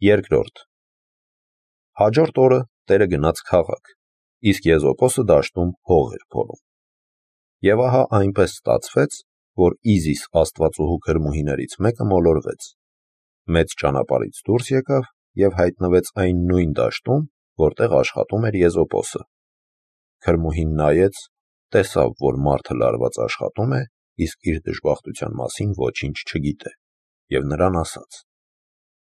Երկրորդ. Հաջորդ օրը տերը գնաց քաղաք, իսկ Եզոպոսը դաշտում հող էր փորում։ Եվ ահա այնպես ստացվեց, որ Իզիս աստվածուհու քրմուհիներից մեկը մոլորվեց, մեծ ճանապարհից դուրս եկավ և հայտնվեց այն նույն դաշտում, որտեղ աշխատում էր Եզոպոսը։ Քրմուհին նայեց, տեսավ, որ մարդը լարված աշխատում է, իսկ իր դժբախտության մասին ոչինչ չգիտե, և նրան ասաց.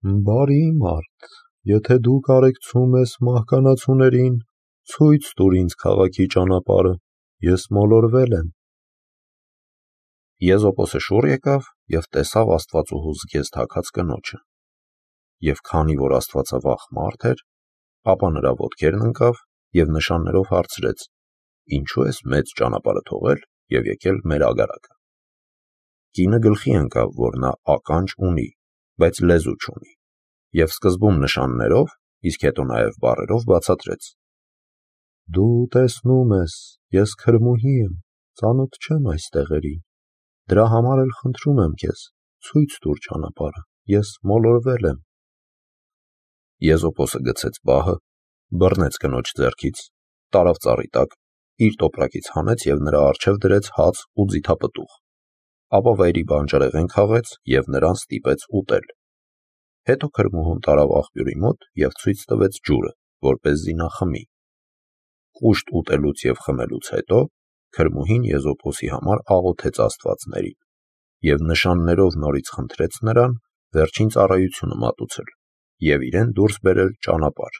Բարի մարդ, եթե դու կարեկցում ես մահկանացուներին, ցույց տուր ինձ քաղաքի ճանապարհը, ես մոլորվել եմ։ Եզոպոսը շուռ եկավ և տեսավ աստվածուհու զգեստ հագած կնոջը։ Եվ քանի որ աստվածավախ մարդ էր, ապա նրա ոտքերն ընկավ և նշաններով հարցրեց. Ինչու ես մեծ ճանապարհը թողել և եկել մեր ագարակը։ Կինը գլխի ընկավ, որ նա ականջ ունի, բայց լեզու չունի, և սկզբում նշաններով, իսկ հետո նաև բառերով բացատրեց. Դու տեսնում ես, ես քրմուհի եմ, ծանոթ չեմ այս տեղերին, դրա համար էլ խնդրում եմ քեզ, ցույց տուր ճանապարհը, ես մոլորվել եմ։ Եզոպոսը գցեց բահը, բռնեց կնոջ ձեռքից, տարավ ծառի տակ, իր տոպրակից հանեց և նրա առջև դրեց հաց ու ձիթապտուղ, ապա վայրի բանջարեղեն քաղեց և նրան ստիպեց ուտել։ Հետո քրմուհուն տարավ աղբյուրի մոտ և ցույց տվեց ջուրը, որպեսզի նա խմի։ Կուշտ ուտելուց և խմելուց հետո քրմուհին Եզոպոսի համար աղոթեց աստվածներին և նշաններով նորից խնդրեց նրան վերջին ծառայությունը մատուցել և իրեն դուրս բերել ճանապարհ։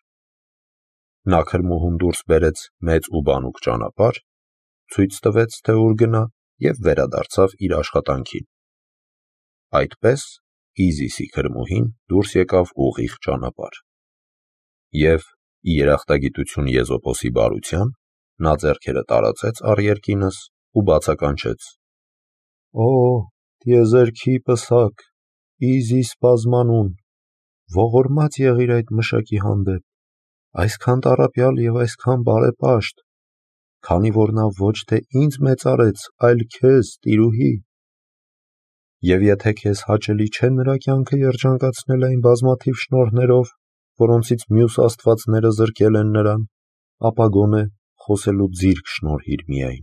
Նա քրմուհուն դուրս բերեց մեծ ու բանուկ ճանապարհ, ցույց տվեց, թե ուր գնա, և վերադարձավ իր աշխատանքին։ Այդպես Իզիսի քրմուհին դուրս եկավ ուղիղ ճանապարհ։ Եվ ի երախտագիտություն Եզոպոսի բարության, նա ձեռքերը տարածեց առ երկինս ու բացականչեց. Օ, տիեզերքի պսակ, Իզիս բազմանուն, ողորմած եղիր այդ մշակի հանդեպ, այսքան տառապյալ և այսքան բարեպաշտ, քանի որ նա ոչ թե ինձ մեծարեց, այլ քեզ, տիրուհի։ Եվ եթե քեզ հաճելի չէ նրա կյանքը երջանկացնել այն բազմաթիվ շնորհներով, որոնցից մյուս աստվածները զրկել են նրան, ապա գոնե խոսելու ձիրք շնորհիր միայն։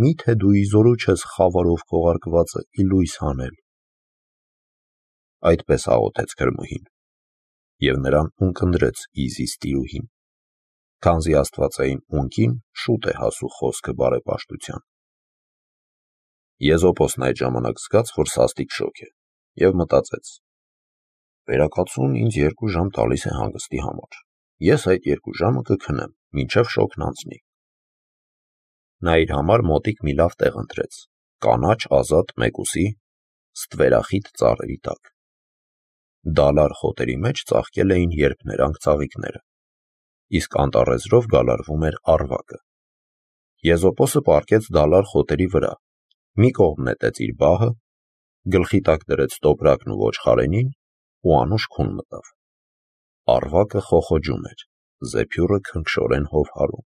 Մի՞թե դու իզորու չես խավարով քողարկվածը ի լույս հանել։ Այդպես աղոթեց քրմուհին, և նրան ունկնդրեց Իզիս տիրուհին, քանզի աստվածային ունկին շուտ է հասու խոսքը բարեպաշտության։ Եզոպոսն այդ ժամանակ զգաց, որ սաստիկ շոգ է, և մտածեց. Վերակացուն ինձ 2 ժամ տալիս է հանգստի համար, ես այդ 2 ժամը կքնեմ, մինչև շոգն անցնի։ Նա իր համար մոտիկ մի լավ տեղ ընտրեց, կանաչ ազատ մեկուսի, ստվերախիտ ծառերի տակ։ Դալար խոտերի մեջ ծաղկել էին երփներանգ ծաղիկները, իսկ անտառեզրով գալարվում էր առվակը։ Եզոպոսը պառկեց դալար խոտերի վրա, մի կողմ նետեց իր բահը, գլխի տակ դրեց տոպրակն ու ոչխարենին ու անուշ քուն մտավ։ Առվակը խոխոջում էր, զեփյուռը քնքշորեն հով հարում,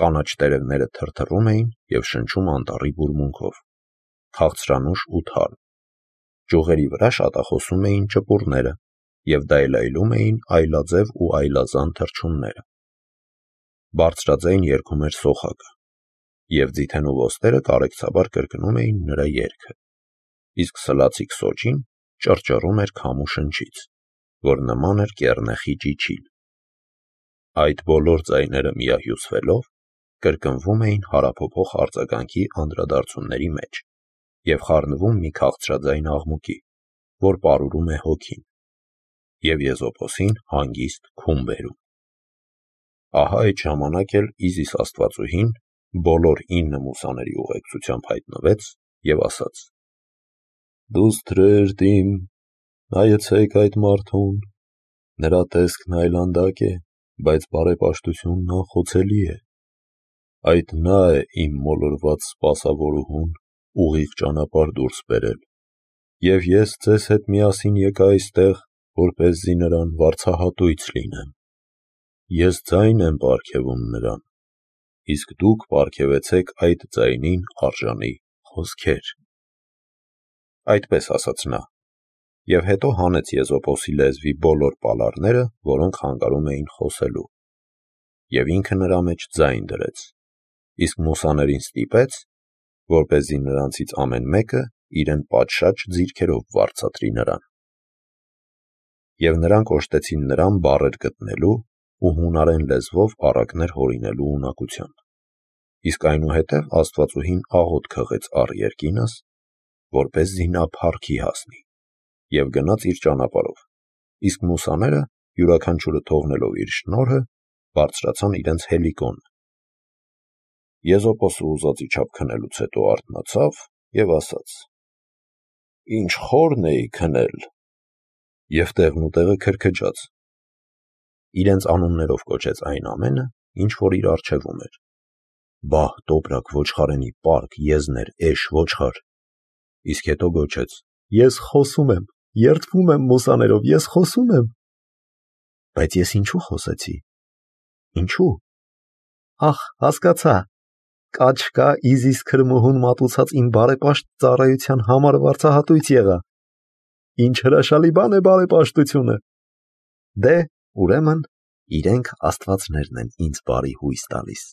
կանաչ տերևները թրթռում էին և շնչում անտառի բուրմունքով, քաղցրանուշ ու թարմ, ճյուղերի վրա շատախոսում էին ճպուռները և դայլայլում էին այլաձև ու այլազան թռչունները։ Բարձրաձայն երգում էր սոխակը, և ձիթենու ոսტերը կարեկցաբար կրկնում էին նրա երգը, իսկ սլացիկ սոճին ճռճռում էր քամու շնչից, որ նման էր կեռնեխի ճիչին։ Այդ բոլոր ձայները միահյուսվելով կրկնվում էին հարափոփող արձագանքի անդրադարձությունների մեջ և խառնվում մի քաղցրաձայն աղմուկի, որ պարուրում է հոգին, և Եզոպոսին հանգիստ քուն բերում։ Ահա այդ ժամանակ էլ Իզիս աստվածուհին բոլոր 9 մուսաների ուղեկցությամբ հայտնվեց և ասաց. Դուստրերդ իմ, նայեցեք այդ մարդուն, նրա տեսքն այլանդակ է, բայց բարեպաշտությունն անխոցելի է։ Այդ նա է իմ մոլորված սպասավորուհուն ուղիղ ճանապարհ դուրս բերել, և ես ձեզ հետ միասին եկա այստեղ, որպեսզի նրան վարձահատույց լինեմ։ Ես ձայն եմ պարգևում նրան, իսկ դուք պարգևեցեք այդ ձայնին արժանի խոսքեր։ Այդպես ասաց նա, Եվ հետո հանեց Եզոպոսի լեզվի բոլոր պալարները, որոնք խանգարում էին խոսելու, և ինքը նրա մեջ ձայն դրեց, իսկ մուսաներին ստիպեց, որպեսզի նրանցից ամեն մեկը իրեն պատշաճ ձիրքերով վարձատրի նրան։ Եվ նրանք օժտեցին նրան բառեր գտնելու ու հունարեն լեզվով առակներ հորինելու ունակությամբ, իսկ այնուհետև աստվածուհին աղոթ քղեց առ երկինս, որպեսզի նա փառքի հասնի, և գնաց իր ճանապարհով, իսկ մուսաները, յուրաքանչյուրը թողնելով իր շնորհը, բարձրացան իրենց հելիկոն։ Եզոպոսը ուզած իջավ քնելուց հետո արթնացավ և ասաց. «Ինչ խորն էի քնել», և տեղնուտեղը քրքջաց։ Իրենց անուններով կոչեց այն ամենը, ինչ որ իր առջևում էր. բահ, տոպրակ, ոչխարենի, պարկ, եզներ, էշ, ոչխար։ Իսկ հետո գոչեց. «Ես խոսում եմ, երդվում եմ մուսաներով, ես խոսում եմ»։ Բայց ես ինչու խոսեցի։ Ինչու։ Ահ, հասկացա, կաչկա իզիս քրմուհուն մատուցած իմ բարեպաշտ ծառայության համար վարձահատույց եղա։ Ինչ հրաշալի բան է բարեպաշտությունը։ Դե, ուրեմն, իրենք աստվածներն են ինձ բարի հույս տալիս։